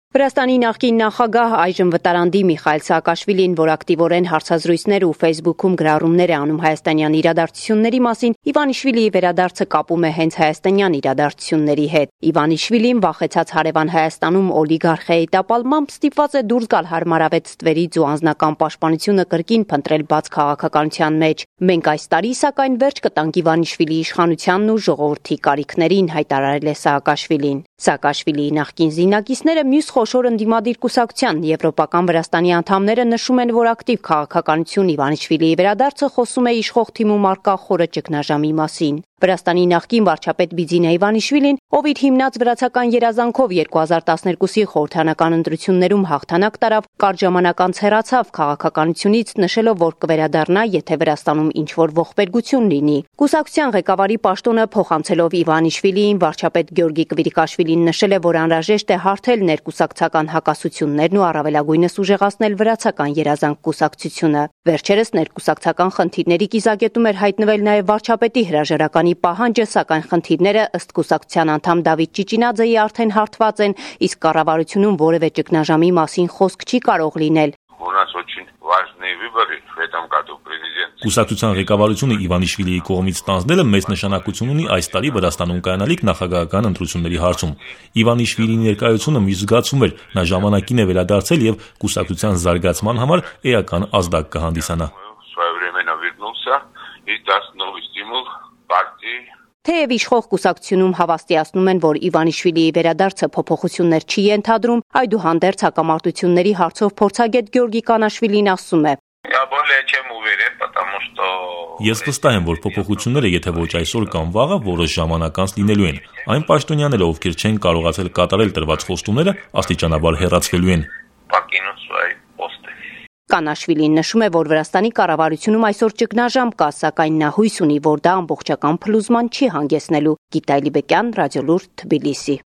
Վրաստանի նախկին նախագահ այժմ վտարանդի Միխայիլ Սաակաշվիլին, որ ակտիվորեն հարցազրույցներ ու Facebook-ում գրառումներ է անում հայաստանյան իրադարձությունների մասին, Իվանիշվիլիի վերադարձը կապում է հենց հայաստանյան իրադարձությունների հետ։ Իվանիշվիլին վախեցած հարևան Հայաստանում օլիգարխիայի տապալմամբ ստիպված է դուրս գալ հարմարավետ ստվերից ու անձնական պաշտպանությունը կրկին փնտրել բաց քաղաքականության մեջ։ Մենք այս տարի սակայն վերջ կտանք Իվանիշվիլիի իշխանությանն ու ժողովրդի կարիքներին, հայտարարել է Սաակաշվիլին։ Սաակաշվիլիի նախկին զինակիցները մյուս խոշոր ընդդիմադիր կուսակցության եվրոպական Վրաստանի անդամները նշում են, որ ակտիվ քաղաքականություն Իվանիշվիլիի վերադարձը խոսում է իշխող թիմում առկա խորը ճգնաժամի մասին։ Վրաստանի նախկին վարչապետ Բիձինա Իվանիշվիլին, ով իր հիմնած վրացական երազանքով 2012-ի խորհրդանական ընտրություններում հաղթանակ տարավ, կարճ ժամանակ անց հեռացավ քաղաքականությունից, նշելով, որ կվերադառնա, եթե Վրաստանում ինչ-որ ողբերգություն լինի։ Կուսակցության ղեկավարի պաշտոնը փոխանցելով Իվանիշվիլիին, վարչապետ Գյորգի Կվիրիկաշվիլին նշել է, որ անհրաժեշտ է հարթել ներկուսակցական հակասություններն ու առավելագույնս ուժեղացնել վրացական երազանք կուսակցությունը։ Վերջերս ներկուսակցական խնդիրների կիզակետում էր հայտնվել նաև վարչապետի հրաժարականի պահանջը, սակայն խնդիրները ըստ կուսակցության անդամ Դավիթ Ճիճինաձեի արդեն հարթված են, իսկ կառավարությունում որևէ ճգնաժամի մասին խոսք չի կարող լինել։ Կուսակցության ղեկավարությունը Իվանիշվիլիի կողմից ստանձնելը մեծ նշանակություն ունի այս տարի Վրաստանում կայանալիք նախագահական ընտրությունների հարցում։ Իվանիշվիլիի ներկայությունը մի զգացում էր, նա ժամանակին է վերադարձել եւ կուսակցության զարգացման համար էական ազդակ կհանդիսանա։ Թեև իշխող կուսակցությունում հավաստիացնում են, որ Իվանիշվիլիի վերադարձը փոփոխություններ չի ենթադրում, այդուհանդերձ հակամարտությունների հարցով փորձագետ Գյորգի Կանաշվիլին ասում է. Ես վստահ եմ, որ փոփոխությունները, եթե ոչ այսօր կամ վաղը, որոշ ժամանակ անց լինելու են։ Այն պաշտոնյաները, ովքեր չեն կարողացել կատարել տրված խոստումները, աստիճանաբար հեռացվելու են։ Կանաշվիլին նշում է, որ Վրաստանի կառավարությունում այսօր ճգնաժամ կա, սակայն նա հույս ունի, որ դա ամբողջական փլուզման չի հանգեցնելու։ Գիտա Էլիբեկյան, Ռադիոլուրդ, Թբիլիսի։